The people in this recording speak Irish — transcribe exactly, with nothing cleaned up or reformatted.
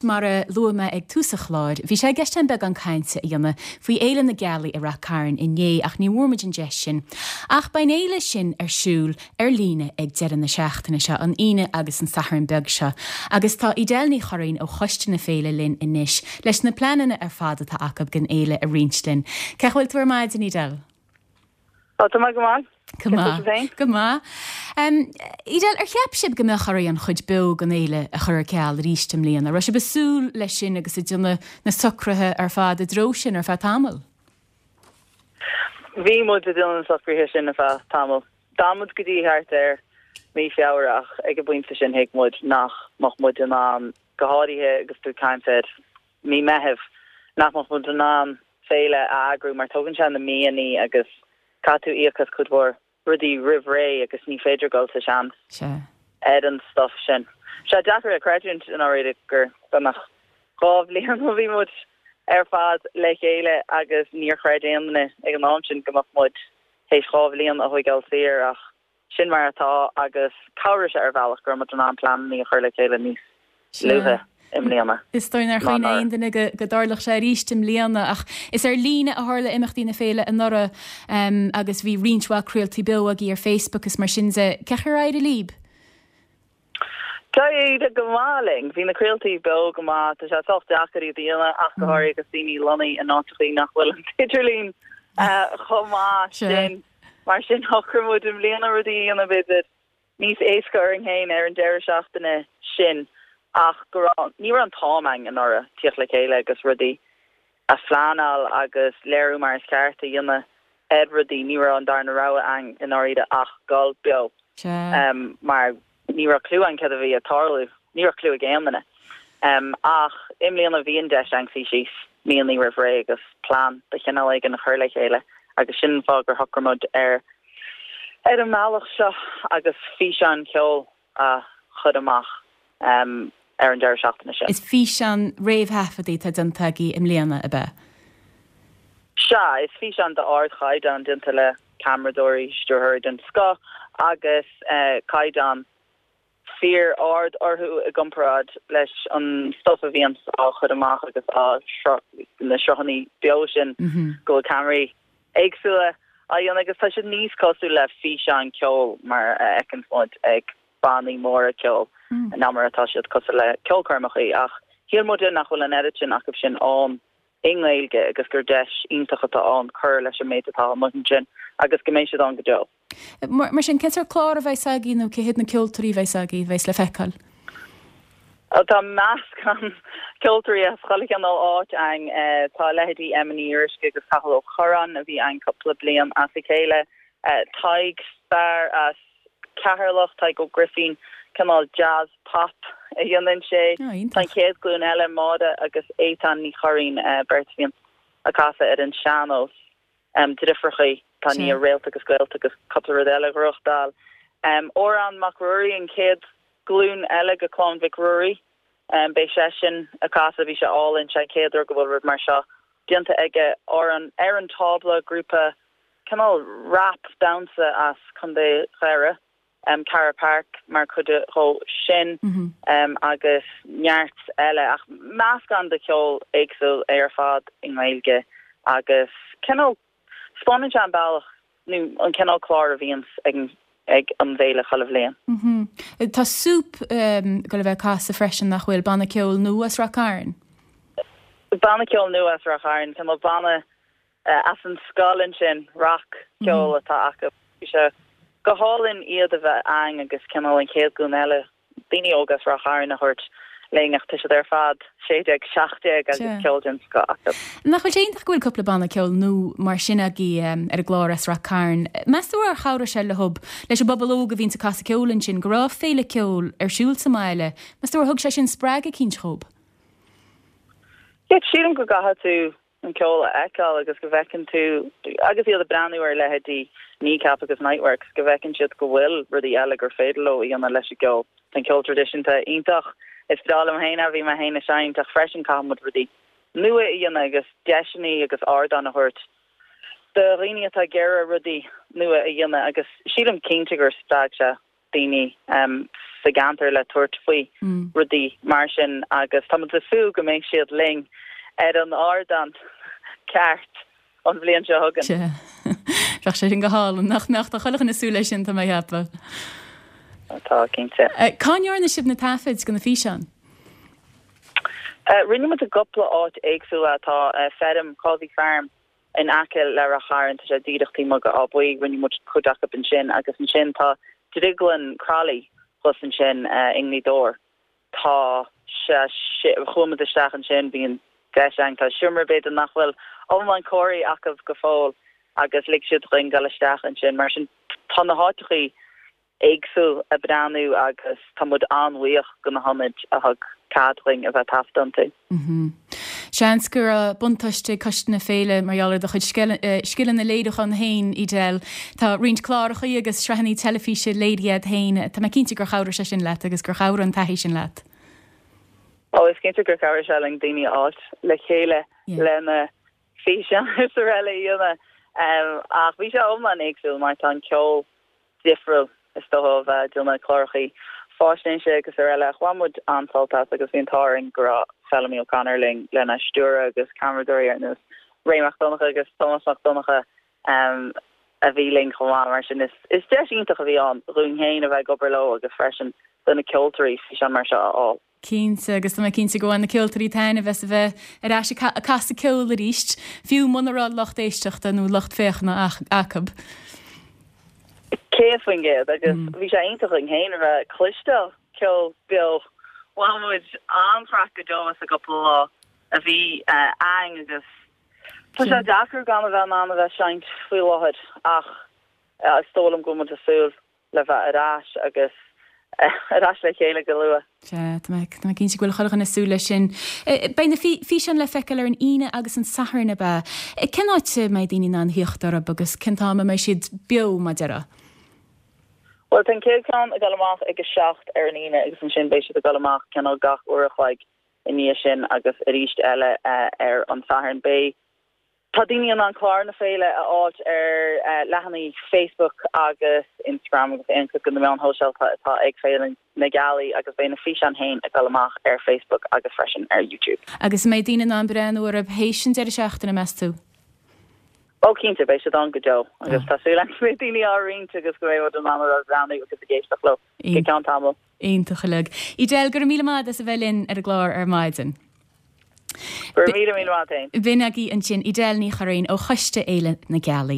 Mar a luaigh mé ag tús an chláir, bhí sé i gceist againn beagán cainte a dhéanamh faoi Fhéile na Gealaí i Rath Cairn inné ach ní bhfuair muid an deis sin. Ach beidh an fhéile sin ar siúl ar líne ag deireadh na seachtaine seo, an Aoine agus an Satharn beag seo. Agus tá Edel Ní Churraoin ó Choiste na Féile linn anois leis na pleananna ar fad atá acu don fhéile a roinnt linn. Cén chaoi a bhfuil tú ar maidin Edel? Tá mé go maith. Go maith. Go maith. Edel, ar cheap sibh go mbeadh oraibh an chuid beo den fhéile a chur ar ceal arís i mbliana, raibh sibh ag súil leis sin agus ag déanamh na socruithe ar fad i dtreo sin ar feadh tamaill? Bhí muid ag déanamh na socruithe sin ar feadh tamaill. D'fhan muid go dtí thart ar mí Feabhra ach ag an bpointe sin thuig muid nach mbeadh muid in ann go háirithe agus tú ag caint ar mí Meitheamh nach mbeadh muid in ann féile a eagrú mar tógann sé na míonna agus caithfidh tú íoc as cuid mhór rudaí roimh ré agus ní féidir dul sa seans ar an stuff sin. Sé deacair a chreidiúint i ndáiríre gur beagnach dhá bhliain ó bhí muid ar fad le chéile agus níor chreid aon duine ag an am sin go mbeadh muid théis dhá bhliain a thógáil saor ach sin mar atá agus chabhraigh sé ar bhealach go raibh muid in ann pleananna a chur le chéile níos luaithe i mbliana. Is dóigh nár chuimhnigh aon duine go go dtarlódh sé arís i mbliana ach is ar líne a tharla imeachtaí na féile anuraidh um, agus bhí roinnt mhaith craoltaí beo agaibh ar Facebook is mar sin de cén chaoi ar éirigh libh? D'éirigh go maith linn, bhí na craoltaí beo go maith tá sé sách deacair iad a dhéanamh ach go mm. háirithe agus daoine lonnaithe in áiteacha nach bhfuil an t-idirlíon uh, chomh maith sin mar sin shocraigh muid i mbliana rudaí a dhéanamh b'fhéidir níos éasca orainn féin ar an deireadh seachtaine sin ach go raibh ní raibh an t-am againn anuraidh tíocht le chéile agus rudaí a phleanáil agus léiriú mar is ceart a dhéanamh ar rudaí ní raibh an darna rogha againn i ndáiríre ach dul beo um, mar ní raibh clue againn cad a bhí ag tarlú ní raibh clue ag aon duine um, ach i mbliana bhí an deis againn suí síos míonna roimh ré agus plean de chineál éigin a chur le chéile agus sin fáth gur shocraigh muid ar ar an mbealach seo agus físeán ceoil a chur amach um, ar an deireadh seachtaine sin. Is físeán réamhthaifeadta atá déanta agaibh i mbliana ab ea. Sea, is físeán d'ardchaighdeán déanta le ceamaradóirí stiúrthóirí den scoth agus uh, caighdeán fíor ard orthu i gcomparáid leis an stuff a bhíonn á chur amach agus á na sruthanna beo sin mm -hmm. go ceamaraí éagsúla á dhéanamh agus tá siad níos cosúil le físeán ceoil mar a fheiceann muid ag bannaí móra ceoil mm. ná mar atá siad cosúil le ceolchoirmeacha ach shíl muid nach bhfuil an oiread sin acu sin ann i nGaeilge agus gur deis iontach atá ann cur leis an méid atá amuigh ansin agus go mbeidh siad ann go deo. Mar, mar sin cén sórt clár a bheas agaibh nó cé hiad na ceoltóirí a bheas agaibh bheas le feiceáil. Tá meascán ceoltóirí as chuile chineál áit againn eh, tá leithéidí Emma Ní Fhíoruisce agus Cathal Ó Curráin a bhí againn cúpla bliain as a chéile eh, Tadhg fear as Ceatharlach Tadhg Ó Grifín cineál jazz pop a dhéanann sé Tá chéad glúin eile Máire agus Étan Ní Churraoin uh, beirt a bhíonn ag casadh ar an sean-nós um, deirfiúracha tá ní réalt agus gaelt agus cúpla rud eile rochtáil. Um, Odhrán Mac Ruairí an chéad glúin eile de chlann Mhic Ruairí um, beidh seisean ag casadh bhí sé álainn sé chéad uair go bhfuil rud mar seo déanta aige ar an ar an tábla grúpa cineál rap damhsa as Contae Dhoire um, Cara Park mar chuid de sin mm -hmm. um, agus neart eile ach meascán de cheol éagsúil ar fad i nGaeilge agus cineál spáineann sé an bealach nó an cineál clár a bhíonn ag ag an bhféile chuile bhliain. Mm -hmm. Tá Súp um, go le bheith ag casadh freisin nach bhfuil banna ceoil nua as Ráth Cairn? Banna ceoil nua as Ráth Cairn, Tá banna uh, as an scoil ansin rac ceol mm -hmm. atá acu. sé go hálainn iad a bheith againn agus cineál an chéad ghlúin eile daoine óga as Ráth Cairn a thabhairt linn ach tá siad ar fad sé déag seacht déag agus ceol den scoth acu. Nach bhfuil sé iontach go bhfuil cúpla banna ceoil nua mar sin agaibh um, ar an gclár as Ráth Cairn. Meas tú ar chabhraigh sé le hub leis an bpobal óg a bhíonn ag casadh ceoil ansin go raibh féile ceoil ar siúl sa mbaile, Meas tú ar thug sé sin spreagadh eicínt dhóibh? Yeah, sílim go gcaithfidh tú an ceol a fheiceáil agus go bhfeiceann tú agus iad ag breathnú ar leithéidí Kneecap agus Niteworks go bhfeiceann siad go bhfuil rudaí eile gur féidir leo a dhéanamh leis an gceol. Tá ceol traidisiúnta iontach is breá liom féin a bhí mé féin ag seinnt ach freisin caithfidh muid rudaí nua a dhéanamh agus deiseanna agus ardán a thabhairt do dhaoine atá ag iarraidh rudaí nua a dhéanamh agus sílim cinnte gur spreag sé daoine um, sa gceantar le tabhairt faoi rudaí mar sin agus tá muid ag súil go mbeidh siad linn ar an ardán ceart an bhliain seo chugainn. Sea. Bheadh sé sin go hálainn, nach mbeadh? Tá chuile dhuine ag súil leis sin, tá mé ag ceapadh. Tá, cinnte. Cá ndearna sibh na taifid do na físeáin? Rinne muid i gcúpla áit éagsúla. Tá feirm, Causey Farm, in aice le Rath Chairn, tá sé díreach taobh amuigh de Áth Buí, rinne muid cuid acu ansin agus ansin tá Drioglann Crolly thuas ansin i nGaoth Dobhair. Tá sé, chuaigh muid isteach ansin, bhí an deis againn, tá seomra b'fhéidir nach bhfuil iomlán cóirithe acu go fóill agus lig siad dhúinn dul isteach ansin. Mar sin tá na háiteachaí éagsúil ag breathnú agus tá muid an-bhuíoch do na hionaid a thug cead dhúinn a bheith ag taifeadadh iontu. Seans go raibh buntáiste ag Coiste na Féile mar gheall ar do chuid scileanna léiriúcháin féin, Edel. Tá roinnt cláracha agus sraitheanna teilifíse léirithe agat féin. Tá mé cinnte gur chabhraigh sé sin leat agus gur chabhraigh an taithí sin leat. Ó, is cinnte gur chabhraigh sé linn daoine a fháilt le chéile lena físeáin is araile a dhéanamh. Ach bhí sé iomlán éagsúil mar tá an ceol difriúil is dócha ó bheith ag déanamh clárachaí faisnéise agus araile. Ach bhain muid an-sult as agus bhí an t-ádh orainn go raibh Feilimí O'Connor linn lena stiúradh agus ceamaradóirí ar nós Ray Mac Donncha agus Tomás Mac Donncha a bhí linn chomh maith. Mar sin is deis iontach a bhí ann dhúinn féin a bheith ag obair leo agus freisin do na ceoltóirí físeán mar seo a fháil. Cinnte, agus tá mé cinnte go bhain na ceoltóirí taitneamh as a bheith ar ais ag casadh ceoil arís, fiú muna raibh lucht éisteachta nó lucht féachana acu. Céad faoin gcéad, agus bhí sé iontach dhúinn féin a bheith ag cloisteáil ceol beo. Bhain muid an-chraic go deo as an gcúpla lá a bhí againn agus tá sé deacair gan a bheith in ann a bheith ag seinnt faoi láthair ach is dóigh liom go bhfuil muid ag súil le bheith ar ais agus ar ais le chéile go luath. Sea, tá mé cinnte go bhfuil chuile dhuine ag súil leis sin. Beidh na físeáin le feiceáil ar an Aoine agus an Satharn, ab ea? Cén áit a mbeidh daoine in ann theacht orthu agus cén t-am a mbeidh siad beo, mar a déarfá? Bhuel, tá an chéad ceann ag dul amach ag a seacht ar an Aoine agus ansin beidh siad ag dul amach cineál gach uair a chloig i ndiaidh sin agus arís eile ar an Satharn. Beidh Tá daoine in ann clár na féile a fháilt ar leathanaigh Facebook agus Instagram agus aon chuid de na meáin shóisialta atá ag Féile na Gealaí agus beidh na físeáin féin ag dul amach ar Facebook agus freisin ar YouTube. Agus an mbeidh daoine in ann breathnú orthu théis an deireadh seachtaine, meas tú? Ó cinnte, beidh siad ann go deo agus tá súil agam go mbeidh daoine á roinnt agus go mbeidh muid in ann a bheith ag breathnú agus ag éisteacht leo go ceann tamaill. Iontach uilig. Edel, go raibh míle maith as a bheith linn ar an gclár ar maidin. Go raibh míle míle maith agat. B'in agaibh ansin Edel Ní Churraoin ó Choiste Fhéile na Gealaí.